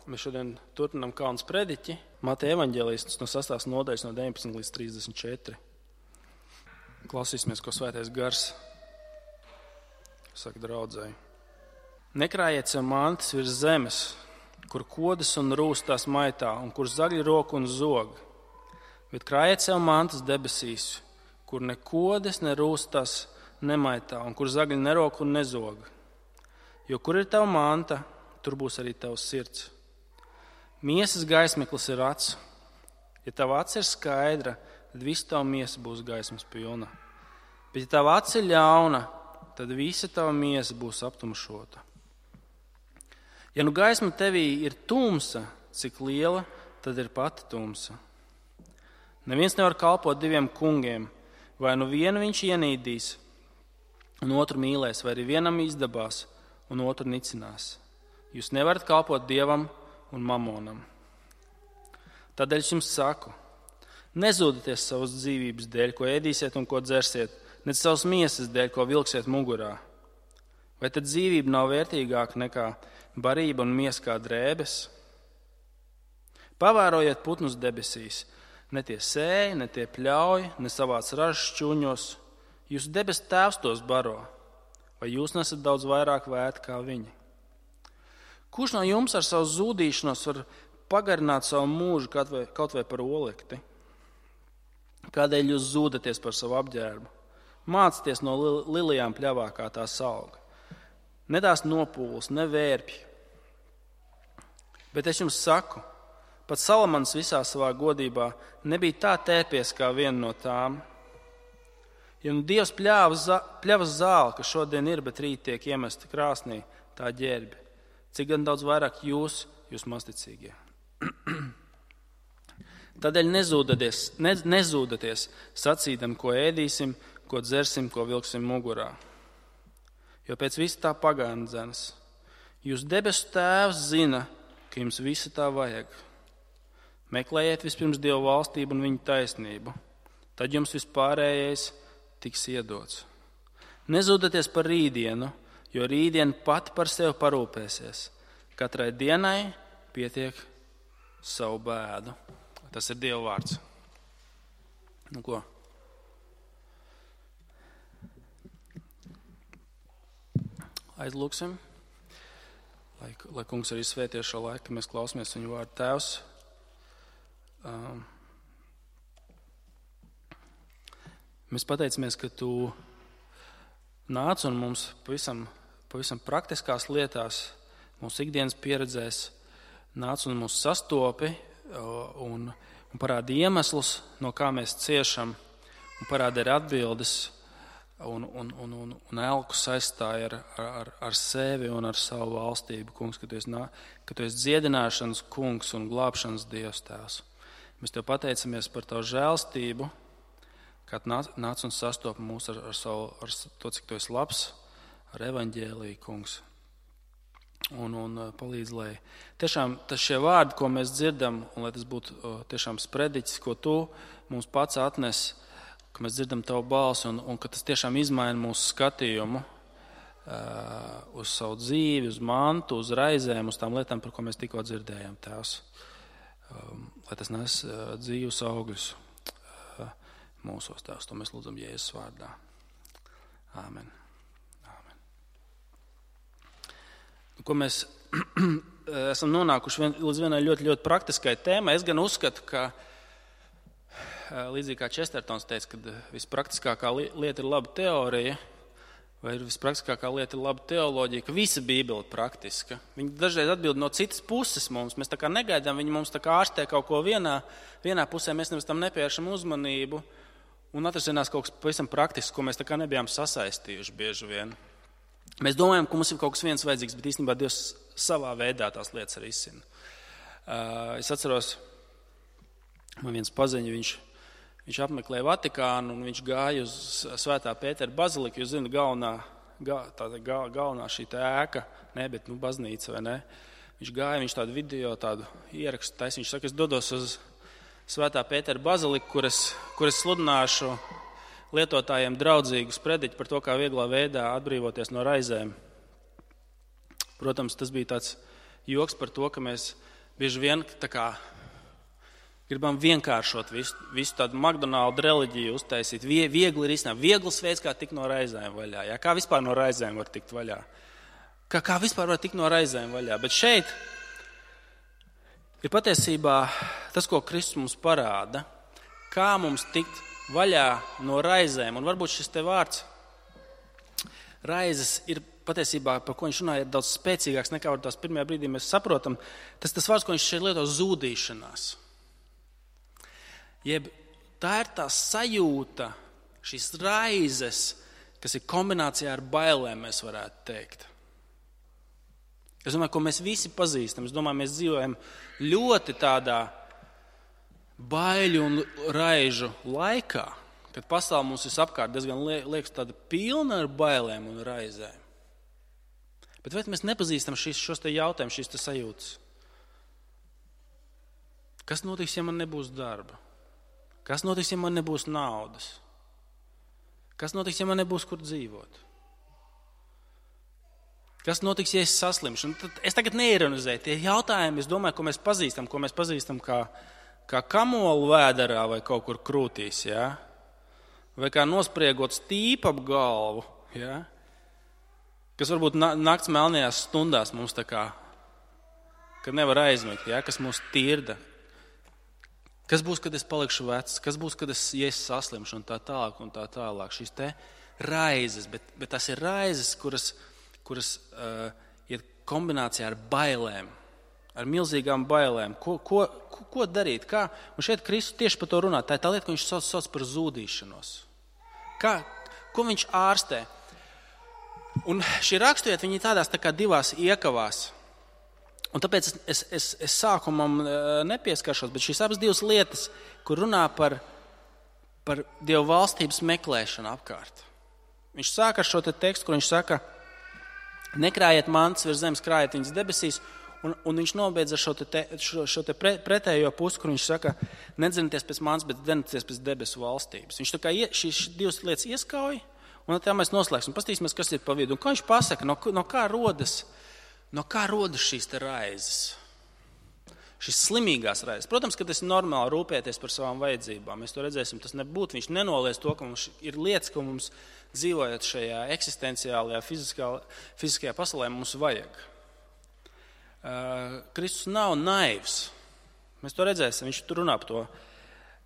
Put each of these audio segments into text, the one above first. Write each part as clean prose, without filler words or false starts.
Mēs šodien turpinām Kalna sprediķi. Mateja evaņģēlists no 6. nodaļas no 19 līdz 34. Klausīsimies, ko Svētais Gars saka draudzēji. Nekrājiet sev mantas virs zemes, kur kodas un rūs tās maitā, un kur zagļi roku un zog. Bet krājiet sev mantas debesīs, kur ne kodas, ne rūs tās nemaitā, un kur zagļi nerok un nezog. Jo kur ir tava manta, tur būs arī tavs sirds. Miesas gaismeklis ir acs. Ja tava acs ir skaidra, tad visa tava miesa būs gaismas pilna. Bet ja tava acs ir ļauna, tad visa tava miesa būs aptumšota. Ja nu gaisma tevī ir tumsa, cik liela, tad ir pati tumsa. Neviens nevar kalpot diviem kungiem, vai nu vienu viņš ienīdīs, un otru mīlēs, vai arī vienam izdabās, un otru nicinās. Jūs nevarat kalpot Dievam un mamonam. Tādēļ es jums saku, nezūdieties savas dzīvības dēļ, ko ēdīsiet un ko dzersiet, ne savas miesas dēļ, ko vilksiet mugurā. Vai tad dzīvība nav vērtīgāka nekā barība un miesa kā drēbes? Pavērojiet putnus debesīs, ne tie sēj, ne tie pļauj, ne savāc ražas šķūņos. Jūsu debesu Tēvs tos baro, vai jūs nesat daudz vairāk vērti kā viņi? Kurš no jums ar savu zūdīšanos var pagarināt savu mūžu kaut vai par olekti? Kādēļ jūs zūdaties par savu apģērbu? Mācieties no lilijām pļavā, kā tās aug. Ne tās nopūlas, ne vērpji. Bet es jums saku, pat Salamans visā savā godībā nebija tā tērpies kā viena no tām. Ja nu Dievs pļavas zāli, kas šodien ir, bet rīt tiek iemesta krāsnī, tā ģērbi, cik gan daudz vairāk jūs mazticīgie. Tādēļ nezūdaties sacīdam, ko ēdīsim, ko dzersim, ko vilksim mugurā. Jo pēc visa tā pagāna dzenas. Jūs debesu Tēvs zina, ka jums visa tā vajag. Meklējiet vispirms Dievu valstību un viņa taisnību. Tad jums vispārējais tiks iedots. Nezūdaties par rītdienu, jo rītdiena pati par sevi parūpēsies. Katrai dienai pietiek savu bēdu. Tas ir Dieva vārds. Nu ko? Aizlūksim, lai kungs arī svētie šo laiku, ka mēs klausamies viņu vārdu. Tēvs, mēs pateicamies, ka tu nāc un mums pavisam praktiskās lietās, mūsu ikdienas pieredzēs, nāc un mūs sastopi un parādi iemeslus, no kā mēs ciešam, un parādi arī atbildes un elku saistāja ar sevi un ar savu valstību, kungs, ka tu esi dziedināšanas kungs un glābšanas Dievs, Tēvs. Mēs tev pateicamies par tavu žēlstību, kad nāc un sastopi mūs ar to, cik tu esi labs, ar evaņģēliju, kungs. Un palīdz, lai tiešām šie vārdi, ko mēs dzirdam, un lai tas būtu tiešām sprediķis, ko tu mums pats atnes, ka mēs dzirdam tavu balsi un ka tas tiešām izmaina mūsu skatījumu uz savu dzīvi, uz mantu, uz raizēm, uz tām lietām, par ko mēs tikko dzirdējām, Tēvs. Lai tas nes dzīvus augļus mūsos, Tēvs. To mēs lūdzam Jēzus vārdā. Āmen. Ko mēs esam nonākuši līdz vienai ļoti, ļoti praktiskai tēmai. Es gan uzskatu, ka līdzīgi kā Čestertons teica, ka vispraktiskākā lieta ir laba teorija, vai vispraktiskākā lieta ir laba teoloģija, ka visa Bībele ir praktiska. Viņi dažreiz atbild no citas puses mums. Mēs tā kā negaidām, viņi mums tā kā ārstē kaut ko vienā pusē, mēs nevis tam nepievēršam uzmanību, un atrasinās kaut kas pavisam praktisks, ko mēs tā kā nebijām sasaistījuši bieži vien. Mēs domājam, ka mums ir kaut kas viens vajadzīgs, bet īstenībā Dievs savā veidā tās lietas arī izsina. Es atceros, man viens paziņa, viņš apmeklēja Vatikānu un viņš gāja uz Svētā Pētera baziliku, jūs zināt, galvenā šī ēka, bet baznīca, vai ne? Viņš gāja, viņš tādu video, tādu ierakstu taisa, viņš saka, es dodos uz Svētā Pētera baziliku, kur es sludināšu lietotājiem draudzīgu sprediķi par to, kā vieglā veidā atbrīvoties no raizēm. Protams, tas bija tāds joks par to, ka mēs bieži vien tā kā gribam vienkāršot visu tādu McDonald's reliģiju uztaisīt. Viegli risināt, viegls veids, kā tikt no raizēm vaļā. Jā? Kā vispār no raizēm var tikt vaļā? Kā vispār var tikt no raizēm vaļā? Bet šeit ir patiesībā tas, ko Kristus mums parāda, kā mums tikt vaļā no raizēm. Un varbūt šis te vārds raizes ir patiesībā, par ko viņš runāja, ir daudz spēcīgāks nekā var tās pirmajā brīdī mēs saprotam. Tas vārds, ko viņš šeit lieto, zūdīšanās. Jeb tā ir tā sajūta, šīs raizes, kas ir kombinācijā ar bailēm, mēs varētu teikt. Es domāju, ko mēs visi pazīstam. Es domāju, mēs dzīvojam ļoti tādā baiļu un raižu laikā, kad pasaule mums visapkārt diezgan liekas tāda pilna ar bailēm un raizēm. Bet vai mēs nepazīstam šos te jautājumus, šīs te sajūtas? Kas notiks, ja man nebūs darba? Kas notiks, ja man nebūs naudas? Kas notiks, ja man nebūs kur dzīvot? Kas notiks, ja es saslimšu? Es tagad neironizēju. Tie jautājumi, es domāju, ko mēs pazīstam kā kamolu vēderā vai kaut kur krūtīs, ja? Vai kā nospriegot stīpu ap galvu, ja? Kas varbūt nakts melnajās stundās mums tā kā, kad nevar aizmigt, ja? Kas mūs tirda. Kas būs, kad es palikšu vecs? Kas būs, kad es saslimšu un tā tālāk un tā tālāk? Šīs te raizes, bet tas ir raizes, kuras ir kombinācijā ar bailēm, ar milzīgām bailēm. Ko darīt? Kā? Un šeit Kristus tieši par to runā. Tā ir tā lieta, ko viņš sauc par zūdīšanos. Ko viņš ārstē? Un šī raksturiet, viņi tādās tā kā divās iekavās. Un tāpēc es sākumam nepieskaršos, bet šīs abas divas lietas, kur runā par Dievu valstības meklēšanu apkārt. Viņš sāk ar šo te tekstu, kur viņš saka, nekrājiet mantas virs zemes, krājiet viņas debesīs, un viņš nobeidz ar šo te pretējo pusi, kur viņš saka, nedzinieties pēc mantas, bet dzenieties pēc debesu valstības. Viņš tā kā šīs divas lietas ieskauj, un tā mēs noslēgsim, pastīsimies, kas ir pa vidu. Un ko viņš pasaka, no kā rodas šīs te raizes? Šīs slimīgās raizes. Protams, ka tas ir normāli rūpēties par savām vajadzībām. Mēs to redzēsim, tas nebūtu. Viņš nenoliedz to, ka mums ir lietas, ko mums dzīvojot šajā eksistenciālajā, fiziskajā pasaulē mums vajag. Kristus nav naivs. Mēs to redzēsim, viņš tur runā par to.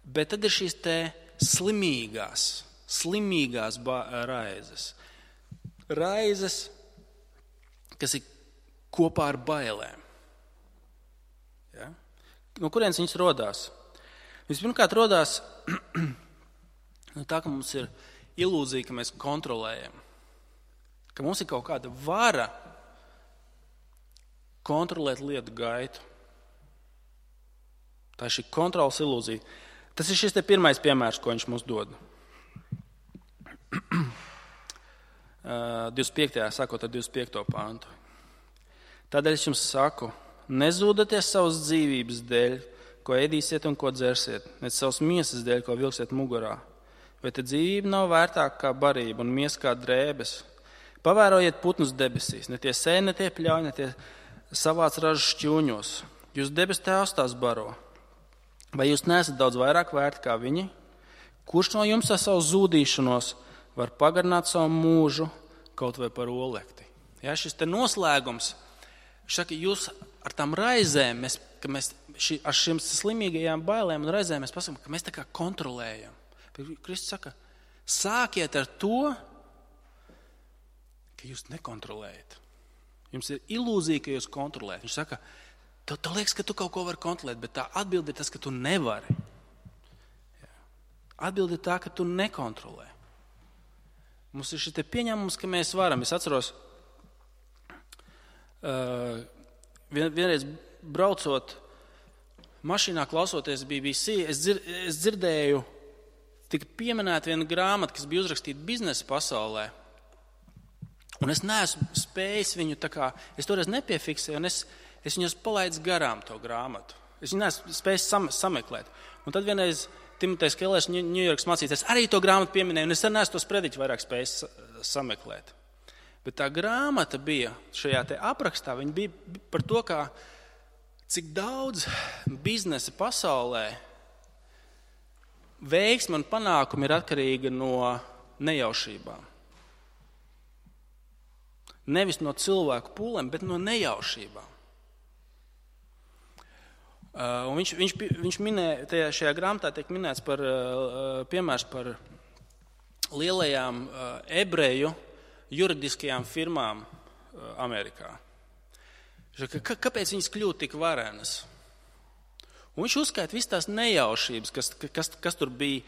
Bet tad ir šīs te slimīgās raizes. Raizes, kas ir kopā ar bailēm. Ja? No kurienes viņas rodās? Vispirmkārt rodās no tā, ka mums ir ilūzija, ka mēs kontrolējam. Ka mums ir kaut kāda vara kontrolēt lietu gaitu. Tā ir šī kontrolas ilūzija. Tas ir šis te pirmais piemērs, ko viņš mums dod. 25. sākot ar 25. pantu. Tādēļ es jums saku, nezūdaties savas dzīvības dēļ, ko ēdīsiet un ko dzersiet, ne savas miesas dēļ, ko vilksiet mugurā. Vai te dzīvība nav vērtāka kā barība un miesa kā drēbes? Pavērojiet putnus debesīs, ne tie sēj, ne tie pļauj, ne tie savāc ražu šķūņos. Jūs debes tēvs tās baro. Vai jūs neesat daudz vairāk vērti kā viņi? Kurš no jums ar savu zūdīšanos var pagarināt savu mūžu kaut vai par olekti? Ja, šis te noslēgums, viņš saka, jūs ar tām raizēm, ar šīm slimīgajām bailēm un raizēm mēs pasakām, ka mēs tā kā kontrolējam. Kristus saka, sākiet ar to, ka jūs nekontrolējat. Jums ir ilūzija, ka jūs kontrolējat. Viņš saka, tev liekas, ka tu kaut ko vari kontrolēt, bet tā atbilde ir tas, ka tu nevari. Atbilde ir tā, ka tu nekontrolē. Mums ir šis te pieņēmums, ka mēs varam. Es atceros, vienreiz braucot mašīnā, klausoties BBC, es dzirdēju, tika pieminēta viena grāmata, kas bija uzrakstīta biznesa pasaulē. Un es neesmu spējis viņu tā kā, es toreiz nepiefiksēju, un es viņus palaidu garām to grāmatu. Es viņu neesmu spējis sameklēt. Un tad vienreiz Timotejs Kellers, Ņujorkas mācītājs, arī to grāmatu pieminēja, un es neesmu to sprediķi vairāk spējis sameklēt. Bet tā grāmata bija šajā te aprakstā, viņa bija par to, cik daudz biznesa pasaulē veiksme un panākumi ir atkarīga no nejaušībām. Nevis no cilvēku pūlēm, bet no nejaušībām. Un viņš minēja, šajā grāmatā tiek minēts par piemērs par lielajām ebreju juridiskajām firmām Amerikā. Kāpēc viņas kļūtu tik varenas? Un viņš uzskaita visas tās nejaušības, kas tur bija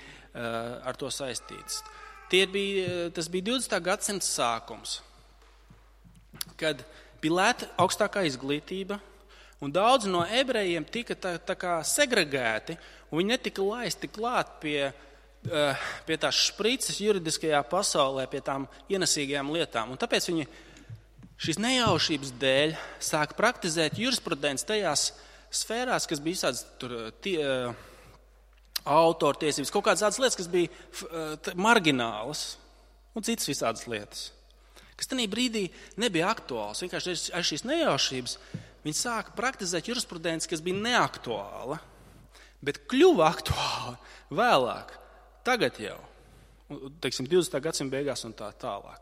ar to saistītas. Tas bija 20. gadsimta sākums, kad bija lēta augstākā izglītība, un daudz no ebrejiem tika tā kā segregēti, un viņi netika laisti klāt pie tās šprices juridiskajā pasaulē, pie tām ienesīgajām lietām. Un tāpēc viņi šīs nejaušības dēļ sāk praktizēt jurisprudenci tajās sfērās, kas bija visādas autortiesības, kaut kādas tādas lietas, kas bija marginālas, un citas visādas lietas, kas tajā brīdī nebija aktuāls. Vienkārši ar šīs nejaušības viņi sāka praktizēt jurisprudenci, kas bija neaktuāla, bet kļuva aktuāla vēlāk, tagad jau, teiksim, 20. gadsimta beigās un tā tālāk.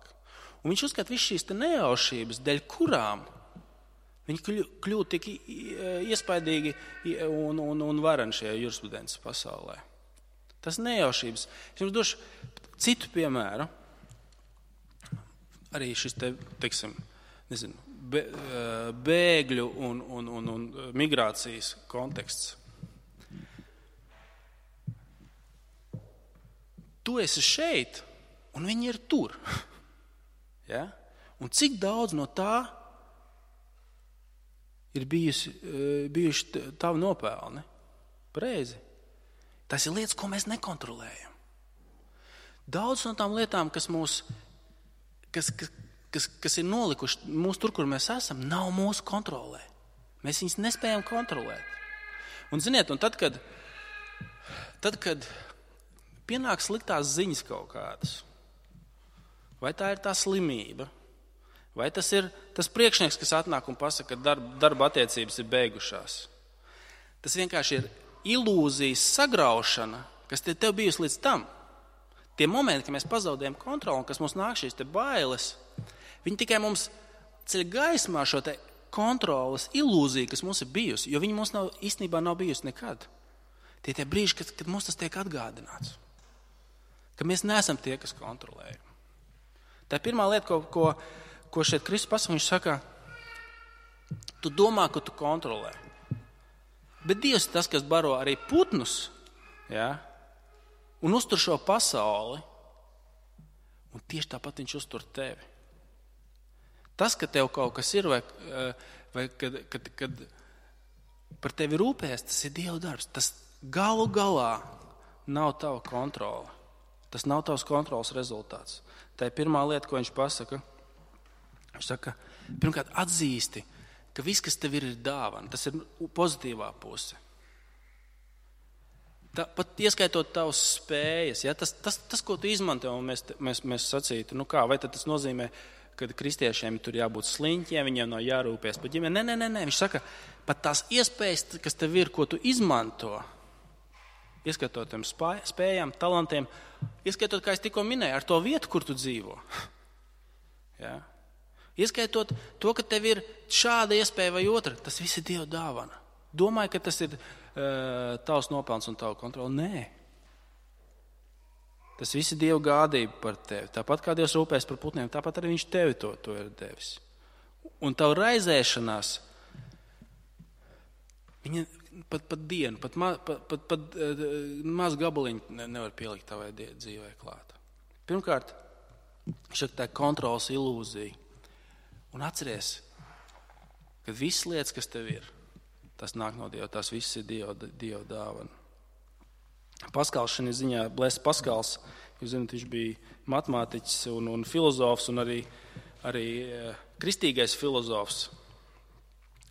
Un viņš uzskata visas šīs nejaušības, dēļ kurām viņi kļūtu tik iespaidīgi un vareni šajā jurisprudences pasaulē. Tas nejaušības. Es jums došu citu piemēru. Arī šis teiksim, bēgļu un migrācijas konteksts. Tu esi šeit, un viņi ir tur. Ja? Un cik daudz no tā ir bijuši tavi nopelni? Pareizi. Tas ir lietas, ko mēs nekontrolējam. Daudz no tām lietām, kas ir nolikuši mūs tur, kur mēs esam, nav mūsu kontrolē. Mēs viņus nespējam kontrolēt. Un ziniet, un tad, kad pienāk sliktās ziņas kaut kādas, vai tā ir tā slimība, vai tas ir tas priekšnieks, kas atnāk un pasaka, ka darba attiecības ir beigušās. Tas vienkārši ir ilūzijas sagraušana, kas tev bijusi līdz tam. Tie momenti, kad mēs pazaudējam kontroli un kas mums nāk šīs te bailes, viņi tikai mums ceļ gaismā šo te kontroles ilūziju, kas mums ir bijusi, jo viņi mums īstenībā nav bijusi nekad. Tie brīži, kad mums tas tiek atgādināts. Ka mēs neesam tie, kas kontrolējam. Tā ir pirmā lieta, ko šeit Kristus pasaka, viņš saka, tu domā, ka tu kontrolē. Bet Dievs ir tas, kas baro arī putnus, ja, un uztur šo pasauli, un tieši tāpat viņš uztur tevi. Tas, ka tev kaut kas ir, vai kad par tevi rūpēs, tas ir Dieva darbs. Tas galu galā nav tava kontrole. Tas nav tavs kontroles rezultāts. Tā ir pirmā lieta, ko viņš pasaka. Viņš saka, pirmkārt, atzīsti, ka viss, kas tev ir dāvana, tas ir pozitīvā puse. Pat ieskaitot tavas spējas, ja, tas, ko tu izmanto, un mēs sacītu, vai tad tas nozīmē, ka kristiešiem tur jābūt sliņķiem, viņiem nav jārūpēs par ģimeni. Nē. Viņš saka, pat tās iespējas, kas tev ir, ko tu izmanto, ieskaitot tiem spējām, talantiem, ieskaitot, kā es tikko minēju, ar to vietu, kur tu dzīvo. Ja? Ieskaitot to, ka tev ir šāda iespēja vai otra, tas viss ir Dieva dāvana. Domāju, ka tas ir tavs nopelns un tavu kontroli. Nē. Tas viss ir Dieva gādība par tevi. Tāpat kā Dievs rūpēs par putniem, tāpat arī viņš tevi to ir devis. Un tavu raizēšanās, viņa pat dienu, pat maz gabaliņu nevar pielikt tavai dzīvē klāt. Pirmkārt, tā kontrolas ilūzija. Un atceries, ka visas lietas, kas tev ir, tas nāk no Dieva, tās visas ir Dieva dāvana. Paskals šajā ziņā, Blēs Paskals, jūs zināt, viņš bija matemātiķis un filozofs un arī kristīgais filozofs.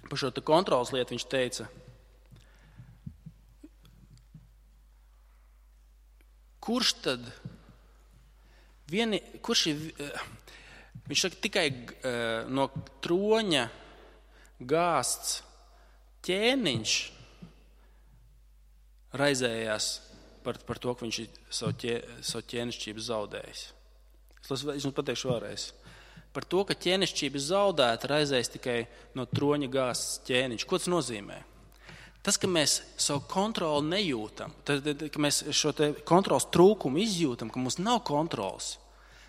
Par šo kontrolas lietu viņš teica, kurš ir Viņš saka, tikai no troņa gāsts ķēniņš raizējās par to, ka viņš ir savu ķēnišķību zaudējis. Es jums pateikšu vēlreiz. Par to, ka ķēnišķība zaudēta, raizējas tikai no troņa gāsts ķēniņš. Ko tas nozīmē? Tas, ka mēs savu kontroli nejūtam, ka mēs šo te kontrols trūkumu izjūtam, ka mums nav kontrols,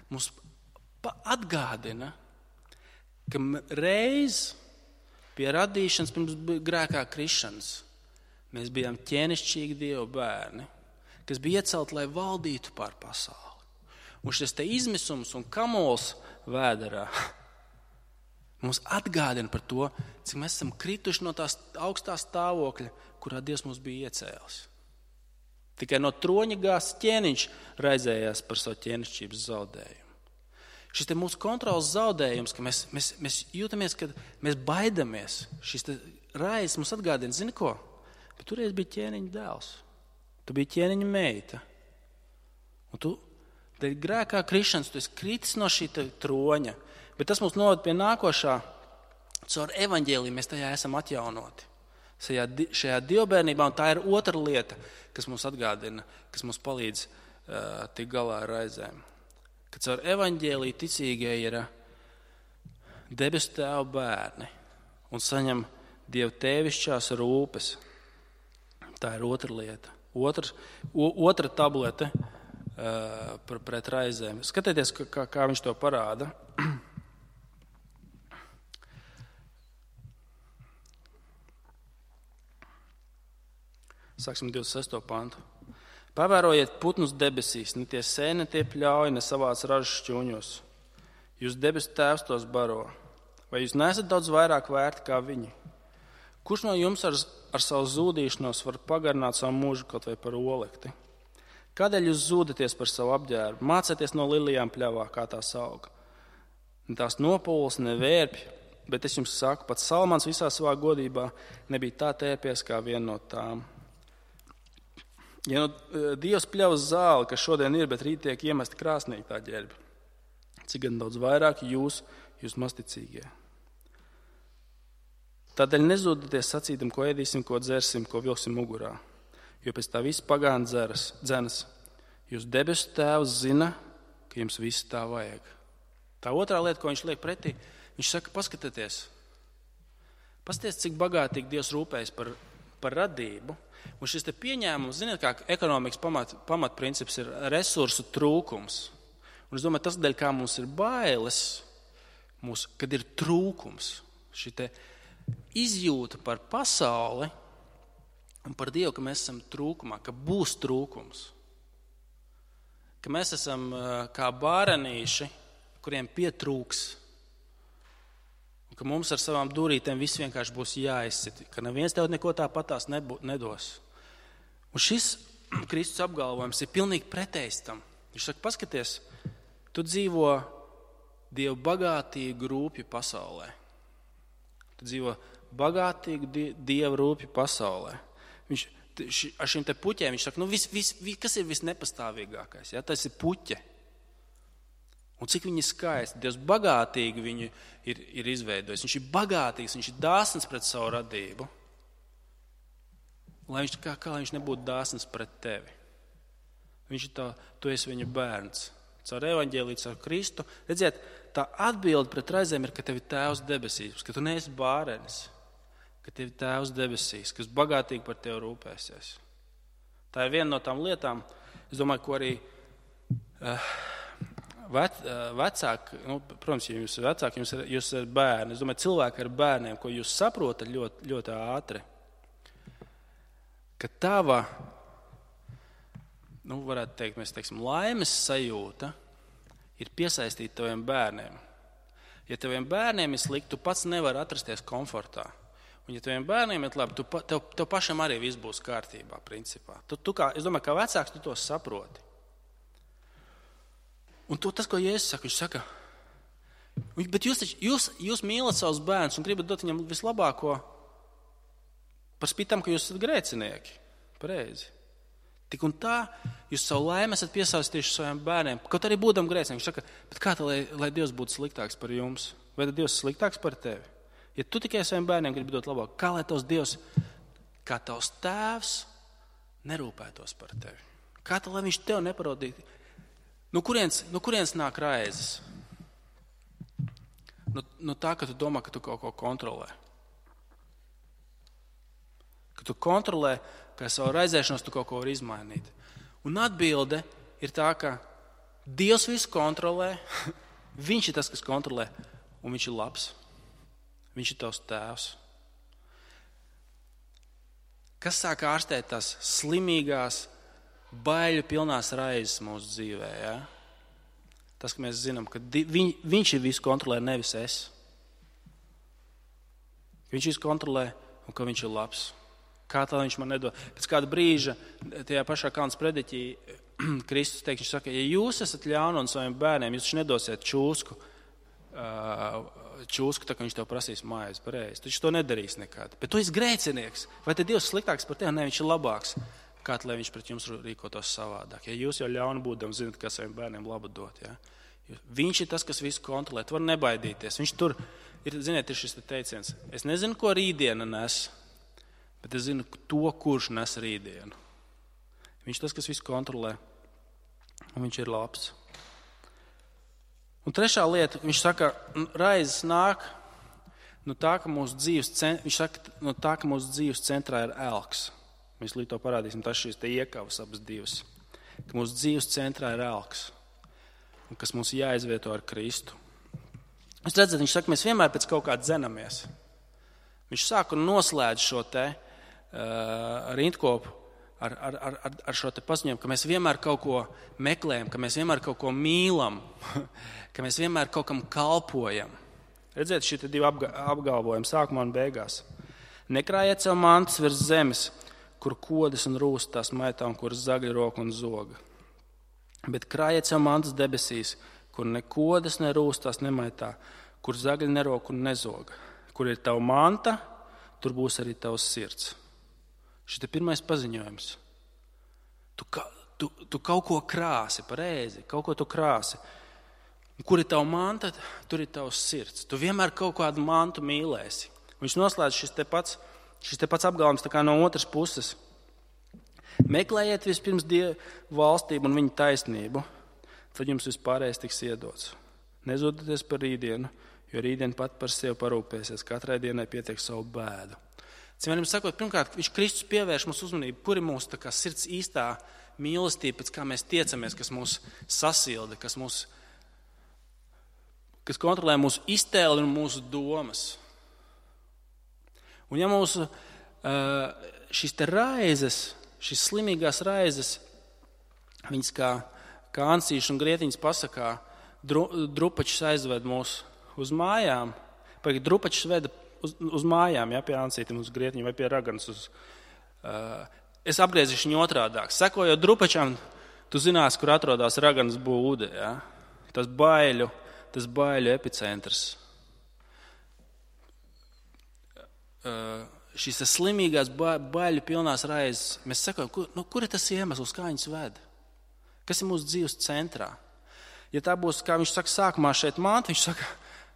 mums atgādina, ka reiz pie radīšanas pirms grēkā krišanas mēs bijām ķēnišķīgi Dieva bērni, kas bija iecelti, lai valdītu pār pasauli. Un šis te izmisums un kamols vēderā mums atgādina par to, cik mēs esam krituši no tās augstā stāvokļa, kurā Dievs mūs bija iecēlis. Tikai no troņa gāsts ķēniņš raizējās par savu ķēnišķības zaudējumu. Šis te mūsu kontrols zaudējums, ka mēs jūtamies, ka mēs baidamies, šis te raizes mums atgādina, zini ko? Bet toreiz bija ķēniņa dēls. Tu biji ķēniņa meita. Un tu, dēļ grēkā krišanas, tu esi kritis no šī troņa. Bet tas mums noved pie nākošā. Caur evaņģēliju mēs tajā esam atjaunoti. Šajā dievbērnībā, un tā ir otra lieta, kas mums atgādina, kas mums palīdz tikt galā ar raizēm. Ka caur evaņģēliju ticīgie ir debesu Tēva bērni un saņem Dieva tēvišķās rūpes. Tā ir otra lieta. Otra tablete pret raizēm. Skatieties, kā viņš to parāda. Sāksim 26. pantu. Pavērojiet putnus debesīs, ne tie sēj, ne tie pļauj, ne savāc ražas šķūņos. Jūs debesu Tēvs tos baro. Vai jūs neesat daudz vairāk vērti kā viņi? Kurš no jums ar savu zūdīšanos var pagarināt savu mūžu kaut vai par olekti? Kādēļ jūs zūdaties par savu apģērbu? Mācieties no lilijām pļavā, kā tās auga. Ne tās nopūles, ne vērpji, bet es jums saku, pat Salmans visā savā godībā nebija tā tērpies kā viena no tām. Ja no Dievs pļavas zāli, kas šodien ir, bet rīt tiek iemesti krāsnī tā ģērbi, cik gan daudz vairāk jūs masticīgie. Tādēļ nezūdaties sacīdam, ko ēdīsim, ko dzersim, ko vilksim mugurā, jo pēc tā viss pagāna dzenas. Jūs debesu Tēvs zina, ka jums viss tā vajag. Tā otrā lieta, ko viņš liek pretī, viņš saka, paskatieties, cik bagātīgi Dievs rūpējas par radību. Un šis te pieņēmums, ziniet, kā ekonomikas pamatprincips ir resursu trūkums. Un es domāju, tas dēļ, kā mums ir bailes, kad ir trūkums, šī te izjūta par pasauli un par Dievu, ka mēs esam trūkumā, ka būs trūkums. Ka mēs esam kā bārenīši, kuriem pietrūks. Un ka mums ar savām durītēm viss vienkārši būs jāizsit, ka neviens tev neko tāpatās nedos. Un šis Kristus apgalvojums ir pilnīgi pretējs tam. Viņš saka, paskaties, tu dzīvo Dievu bagātīgu rūpju pasaulē. Tu dzīvo bagātīgu Dieva rūpju pasaulē. Ar šiem te puķiem viņš saka, kas ir visnepastāvīgākais? Ja? Tas ir puķe. Un cik viņi skaisti. Dievs bagātīgi viņu ir izveidojis. Viņš ir bagātīgs, viņš ir dāsns pret savu radību. Lai viņš nebūtu dāsns pret tevi. Tu esi viņa bērns. Caur evaņģēliju, caur Kristu. Redziet, tā atbilde pret raizēm ir, ka tev ir Tēvs debesīs, ka tu neesi bārenis, ka tev ir Tēvs debesīs, kas bagātīgi par tevi rūpēsies. Tā ir viena no tām lietām, es domāju, ko arī vecāki, protams, ja jūs esat vecāki, jūs esat bērni. Es domāju, cilvēki ar bērniem, ko jūs saprotat ļoti, ļoti ātri, ka tava, varētu teikt, mēs teiksim, laimes sajūta ir piesaistīta taviem bērniem. Ja taviem bērniem ir slikti, tu pats nevari atrasties komfortā. Un ja taviem bērniem ir labi, tev pašam arī viss būs kārtībā, principā. Es domāju, kā vecāks tu to saproti. Un tas, ko Jēzus saka, viņš saka, bet jūs mīlat savus bērnus un gribat dot viņam vislabāko par spītam, ka jūs esat grēcinieki. Pareizi. Tik un tā, jūs savu laimi esat piesaistījuši saviem bērniem. Kaut arī būdam grēcinieki, viņš saka, bet kā tā, lai Dievs būtu sliktāks par jums? Vai tad Dievs ir sliktāks par tevi? Ja tu tikai saviem bērniem gribi dot labāk, kā lai tavs Dievs, kā tavs tēvs, nerūpētos par tevi? Kā tā, lai viņš tev neparodītu? No kurienes nāk raizes? No tā, ka tu domā, ka tu kaut ko kontrolē. Ka tu kontrolē, ka savu raizēšanos tu kaut ko vari izmainīt. Un atbilde ir tā, ka Dievs visu kontrolē, viņš ir tas, kas kontrolē, un viņš ir labs. Viņš ir tavs tēvs. Kas sāk ārstēt tās slimīgās, baiļu pilnās raizes mūsu dzīvē? Ja? Tas, ka mēs zinām, ka viņš ir visu kontrolē, nevis es. Viņš visu kontrolē un ka viņš ir labs. Kā tā viņš man nedod? Pēc kāda brīža, tajā pašā Kalnas prediķī, Kristus teiks, viņš saka, ja jūs esat ļauni un saviem bērniem, jūs nedosiet čūsku, tā kā viņš tev prasīs mājās pareizi. Taču to nedarīs nekad. Bet tu esi grēcinieks. Vai tad Dievs sliktāks par tevi? Nē, viņš ir labāks. Kā lai viņš pret jums rīkotos savādāk? Ja jūs jau ļauni būdam, zinat, kā saviem bērniem labu dot. Ja? Viņš ir tas, kas visu kontrolē. Tu var nebaidīties. Viņš tur ir, ziniet, ir šis teiciens. Es nezinu, ko rītdiena nes, bet es zinu to, kurš nes rītdienu. Viņš ir tas, kas visu kontrolē. Un viņš ir labs. Un trešā lieta, viņš saka, raizes nāk no tā, ka mūsu dzīves centrā ir elks. Mēs līdz to parādīsim, tas šīs te iekavas abas divas. Ka mūsu dzīves centrā ir elks, un kas mums jāizvieto ar Kristu. Jūs redzat, viņš saka, mēs vienmēr pēc kaut kā dzenamies. Viņš sāk un noslēdz šo te rindkopu ar šo te paziņojumu, ka mēs vienmēr kaut ko meklējam, ka mēs vienmēr kaut ko mīlam, ka mēs vienmēr kaut kam kalpojam. Redziet, šie divi apgalvojumi sākumā un beigās. Nekrājiet sev mantas virs zemes, kur kodas un rūst tās maitā un kur zagļa roka un zoga. Bet krājiet sev mantas debesīs, kur ne kodas ne rūst tās nemaitā, kur zagļa neroka un nezoga. Kur ir tava manta, tur būs arī tavs sirds. Šis ir pirmais paziņojums. Tu kaut ko krāsi, pareizi, kaut ko tu krāsi. Kur ir tava manta, tur ir tavs sirds. Tu vienmēr kaut kādu mantu mīlēsi. Viņš noslēdz šis te pats apgalvojums tā kā no otras puses. Meklējiet vispirms Dievu valstību un viņa taisnību, tad jums vispārējais tiks iedots. Nezūdieties par rītdienu, jo rītdiena pat par sevi parūpēsies. Katrai dienai pietiek savu bēdu. Cīmērim sakot, pirmkārt, viņš Kristus pievērš mūsu uzmanību, kur ir mūsu tā kā sirds īstā mīlestība, pēc kā mēs tiecamies, kas mūs sasilda, kas kontrolē mūsu iztēli un mūsu domas. Un ja mūsu šīs te raizes, šīs slimīgās raizes, viņas kā ansīši un grietiņas pasakā, drupačs aizved mūs uz mājām, drupačs veda uz mājām, ja, pie ansītim, uz grietiņu vai pie raganas. Es apgriezīšu viņu otrādāk. Sekojot drupačām, tu zinās, kur atrodas raganas būde. Ja? Tas baiļu epicentrs. Šīs slimīgās baiļu pilnās raizes, mēs sekojam, kur ir tas iemesls, kā viņas ved? Kas ir mūsu dzīves centrā? Ja tā būs, kā viņš saka, sākumā šeit manta, viņš saka,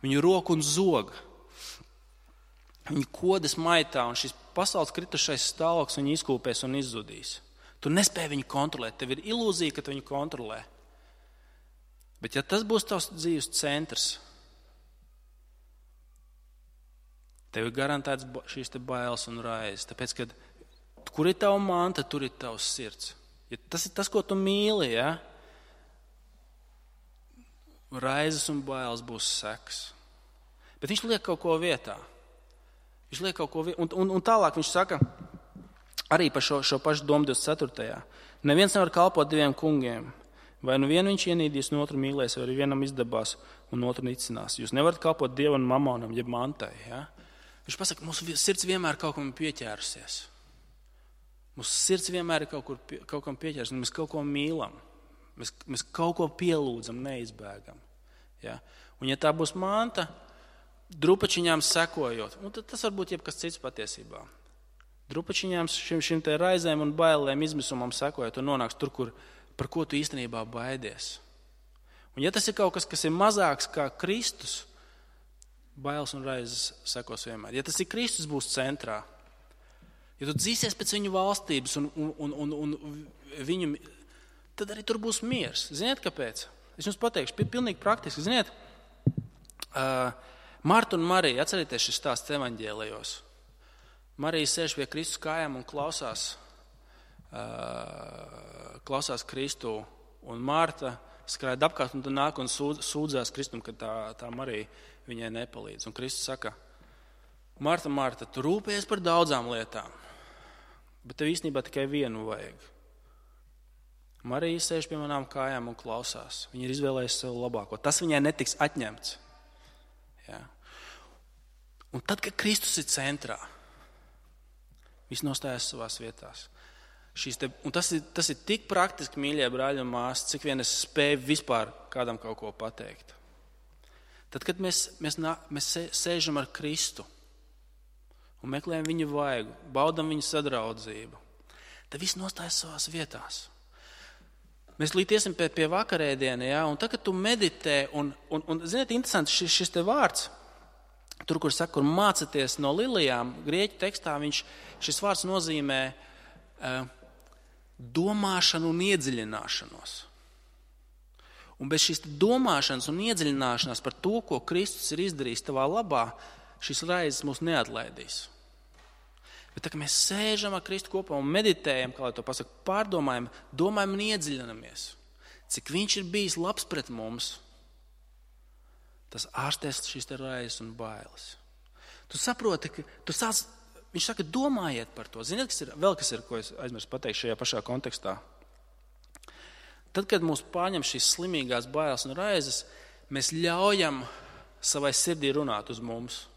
viņu roku un zoga. Viņi kodas maitā, un šis pasaules kritušais stāvoklis viņu izkūpēs un izzudīs. Tu nespēji viņu kontrolēt, tev ir ilūzija, ka tu viņu kontrolē. Bet ja tas būs tavs dzīves centrs, tev ir garantēts šīs te bailes un raizes. Tāpēc, kad kur ir tava manta, tur ir tavs sirds. Ja tas ir tas, ko tu mīli, ja? Raizes un bailes būs seks. Bet viņš liek kaut ko vietā. Un tālāk viņš saka, arī par šo pašu domu 24. Neviens nevar kalpot diviem kungiem. Vai nu vienu viņš ienīdīs, un otru mīlēs, vai arī vienam izdabās, un otru nicinās. Jūs nevarat kalpot Dievam un mamonam, jeb mantai. Ja? Viņš pasaka, mūsu sirds vienmēr kaut kam pieķērusies. Mūsu sirds vienmēr ir kaut kam pieķērusies, un mēs kaut ko mīlam. Mēs kaut ko pielūdzam, neizbēgam. Ja? Un ja tā būs manta, drupačiņām sekojot, un tas var būt jebkas cits patiesībā. Drupačiņām, šim te raizēm un bailēm, izmisumam sekojot un nonāks tur, par ko tu īstenībā baidies. Un ja tas ir kaut kas, kas ir mazāks kā Kristus, bailes un raizes sekos vienmēr. Ja tas ir Kristus būs centrā, ja tu dzīsies pēc viņu valstības un viņu, tad arī tur būs miers. Ziniet, kāpēc? Es jums pateikšu, pilnīgi praktiski. Ziniet, Marta un Marija, atcerieties šis stāsts evaņģēlijos. Marija sēž pie Kristus kājām un klausās Kristu, un Marta skraida apkārt un nāk un sūdzās Kristum, ka tā Marija viņai nepalīdz. Un Kristus saka, Marta, Marta, tu rūpējies par daudzām lietām, bet tev īstenībā tikai vienu vajag. Marija sēž pie manām kājām un klausās. Viņa ir izvēlējusi sev labāko. Tas viņai netiks atņemts. Ja? Un tad, kad Kristus ir centrā, viss nostājas savās vietās. Un tas ir tik praktiski, mīļie brāļi un māsas, cik vien es spēju vispār kādam kaut ko pateikt. Tad, kad mēs sēžam ar Kristu un meklējam viņa vaigu, baudam viņa sadraudzību, tad viss nostājas savās vietās. Mēs līdiesim pie vakarēdiena, ja? Un tad, kad tu meditē, un ziniet, interesanti šis te vārds, tur, kur saka, kur mācaties no lilijām, grieķu tekstā šis vārds nozīmē domāšanu un iedziļināšanos. Un bez šīs domāšanas un iedziļināšanās par to, ko Kristus ir izdarījis tavā labā, šis raizes mūs neatlaidīs. Bet tā, ka mēs sēžam ar Kristu kopā un meditējam, kā lai to pasaka, pārdomājam, domājam un iedziļinamies, cik viņš ir bijis labs pret mums, tas ārstēs šīs te raizes un bailes. Tu saproti, ka viņš saka, domājiet par to. Ziniet, kas ir, ko es aizmirsu pateikt šajā pašā kontekstā? Tad, kad mūs pārņem šīs slimīgās bailes un raizes, mēs ļaujam savai sirdī runāt uz mums.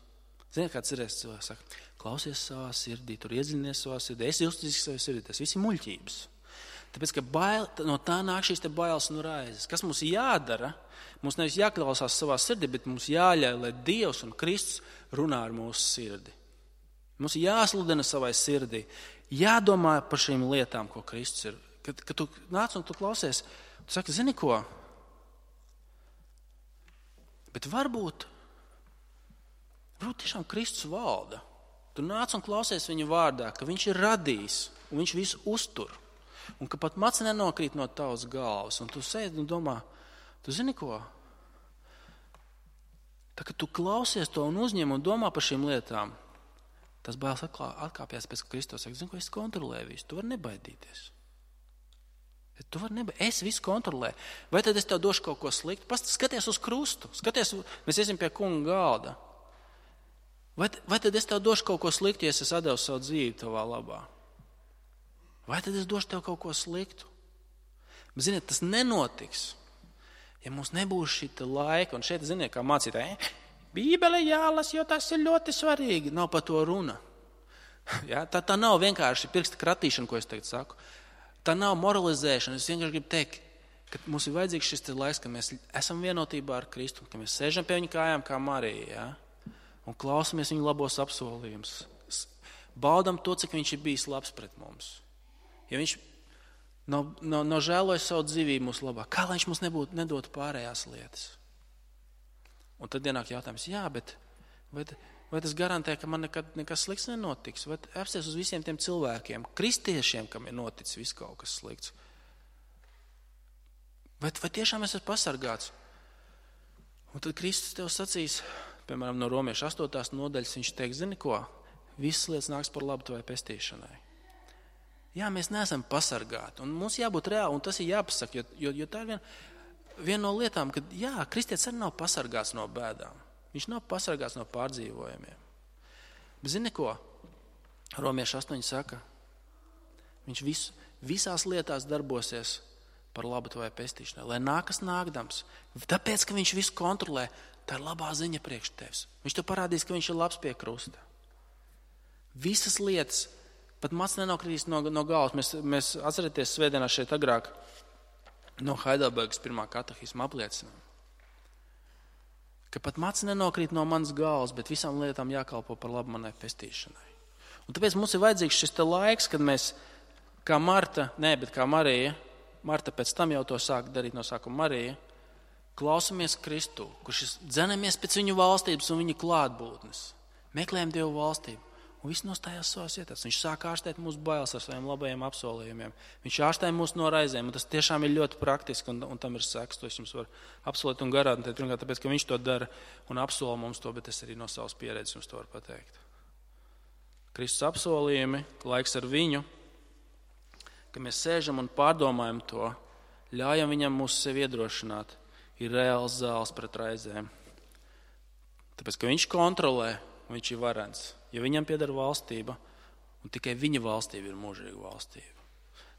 Ziniet, kāds ir cilvēks saka, klausies savā sirdī, tur iedziļinies savā sirdī, esi uzticīgs savai sirdī, tas viss ir muļķības. Tāpēc, ka no tā nāk šīs te bailes un raizes. Kas mums jādara? Mums nevis jāklausās savā sirdī, bet mums jāļauj, lai Dievs un Kristus runā ar mūsu sirdi. Mums jāsludina savai sirdī, jādomā par šīm lietām, ko Kristus ir. Kad tu nāc un tu klausies, tu saki, zini ko? Bet varbūt tiešām Kristus valda. Tu nāc un klausies viņa vārdā, ka viņš ir radījis un viņš visu uztur. Un ka pat maca nenokrīt no tavas galvas. Un tu sēdi un domā, tu zini ko? Tā, kad tu klausies to un uzņem un domā par šīm lietām, tas bailes atkāpjas pēc, ka Kristus saka, zini ko, es kontrolēju visu, tu vari nebaidīties. Es visu kontrolēju. Vai tad es tev došu kaut ko sliktu? Skaties uz krustu, mēs iesim pie kunga galda. Vai tad es tev došu kaut ko sliktu, ja es atdevu savu dzīvi tavā labā? Vai tad es došu tev kaut ko sliktu? Bet, ziniet, tas nenotiks, ja mums nebūs šī laika. Un šeit, ziniet, kā mācītāji, Bībele jālas, jo tas ir ļoti svarīgi. Nav par to runa. Ja? Tā nav vienkārši pirksta kratīšana, ko es tagad saku. Tā nav moralizēšana. Es vienkārši gribu teikt, ka mums ir vajadzīgs šis laiks, ka mēs esam vienotībā ar Kristu, ka mēs sēžam pie viņa kājām kā Marija, ja? Un klausamies viņa labos apsolījumus. Baudam to, cik viņš ir bijis labs pret mums. Ja viņš nav žēlojis savu dzīvību mūsu labā, kā lai viņš mums nedotu pārējās lietas? Un tad ienāk jautājums, jā, bet vai tas garantē, ka man nekad nekas slikts nenotiks? Vai apsties uz visiem tiem cilvēkiem, kristiešiem, kam ir noticis viss kaut kas slikts? Vai tiešām es esmu pasargāts? Un tad Kristus tev sacīs, piemēram, no Romiešu 8. nodaļas, viņš teiks, zini ko? Visas lietas nāks par labu tavai pestīšanai. Jā, mēs neesam pasargāti, un mums jābūt reāli, un tas ir jāpasaka, jo tā ir viena no lietām, ka jā, kristietis arī nav pasargāts no bēdām. Viņš nav pasargāts no pārdzīvojumiem. Bet zini ko? Romiešu 8 saka, viņš visās lietās darbosies par labu tavai pestīšanai, lai nākas nākdams. Tāpēc, ka viņš visu kontrolē, tā ir labā ziņa priekš tevis. Viņš tev parādīs, ka viņš ir labs pie krusta. Visas lietas, pat mats nenokritīs no galvas. Mēs atcerieties svētdienā šeit agrāk no Heidelbergas pirmā katehisma apliecinām, ka pat mats nenokrīt no manas galvas, bet visām lietām jākalpo par labu manai pestīšanai. Un tāpēc mums ir vajadzīgs šis te laiks, kad mēs, kā Marija, Marta pēc tam jau to sāk darīt no sākuma Marija, klausamies Kristu, kurš dzenamies pēc viņu valstības un viņa klātbūtnes. Meklējam Dievu valstību. Un viss nostājās savās vietās. Viņš sāk ārstēt mūsu bailes ar saviem labajiem apsolījumiem. Viņš ārstē mūs no raizēm, un tas tiešām ir ļoti praktiski, un tam ir seks. To es jums varu apsolīt un garantēt. Pirmkārt, tāpēc, ka viņš to dara un apsola mums to, bet es arī no savas pieredzes jums to varu pateikt. Kristus apsolījumi, laiks ar viņu, ka mēs sēžam un pārdomājam to, ļaujam viņam mūs sevi iedrošināt, ir reāls zāles pret raizēm. Tāpēc, ka viņš kontrolē, viņš ir varens. Ja viņam pieder valstība, un tikai viņa valstība ir mūžīga valstība.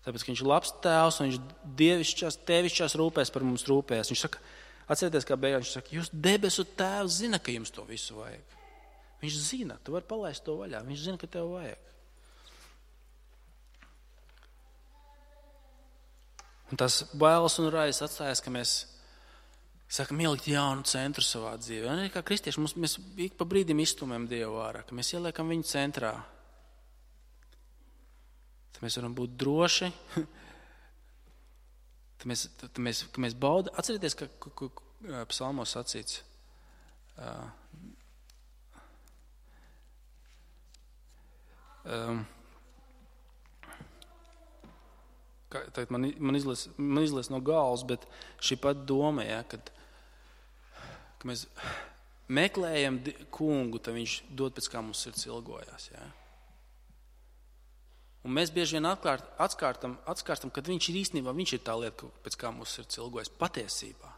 Tāpēc, ka viņš ir labs tēvs, un viņš dievišķās, tevišķās rūpēs par mums rūpēs. Viņš saka, atcerieties, kā beigās, viņš saka, jūs debesu tēvs zina, ka jums to visu vajag. Viņš zina, tu vari palaist to vaļā, viņš zina, ka tev vajag. Un tas bailes un raizes atstājas, ka mēs sākam ielikt jaunu centru savā dzīvē. Un arī kā kristieši, mēs ik pa brīdim izstumjam Dievu ārā, ka mēs ieliekam viņu centrā. Tad mēs varam būt droši. Tad mēs baudām. Atcerieties, ka psalmos sacīts. Tagad man izlies no galvas, bet šī pat doma, ja, kad mēs meklējam kungu, tad viņš dod pēc kā mums sirds ilgojās. Ja. Un mēs bieži vien atskārtam, kad viņš ir īstenībā, viņš ir tā lieta, pēc kā mums sirds ilgojas patiesībā.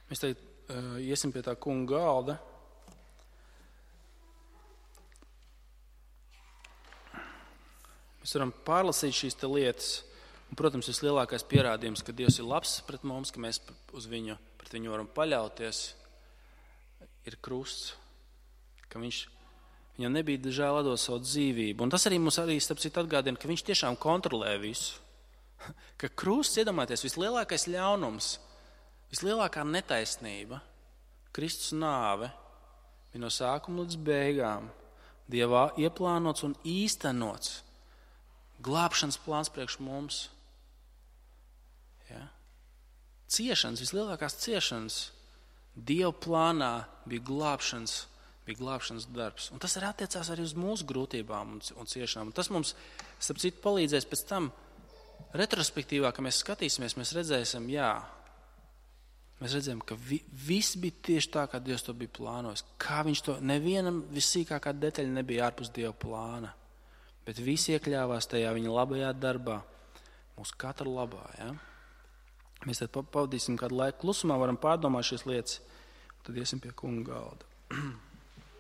Mēs tagad iesim pie tā kunga galda. Mēs varam pārlasīt šīs te lietas. Un, protams, vislielākais pierādījums, ka Dievs ir labs pret mums, ka mēs pret viņu varam paļauties, ir krusts. Ka viņam nebija žēl atdot savu dzīvību. Un tas arī mums starp citu atgādina, ka viņš tiešām kontrolē visu. Ka krusts, iedomājieties, vislielākais ļaunums, vislielākā netaisnība, Kristus nāve, bija no sākuma līdz beigām Dievā ieplānots un īstenots. Glābšanas plāns priekš mums. Ja? Ciešanas, vislielākās ciešanas Dieva plānā bija glābšanas darbs. Un tas arī attiecās arī uz mūsu grūtībām un ciešanām. Un tas mums, starp citu, palīdzēs pēc tam retrospektīvā, ka mēs skatīsimies, mēs redzēsim, mēs redzējām, ka viss bija tieši tā, kā Dievs to bija plānojis. Kā viņš to, nevienam vissīkākā detaļa nebija ārpus Dieva plāna. Bet visi iekļāvās tajā viņa labajā darbā, mūsu katra labā. Ja? Mēs tad pavadīsim kādu laiku klusumā, varam pārdomāt šīs lietas, un tad iesim pie kunga galda.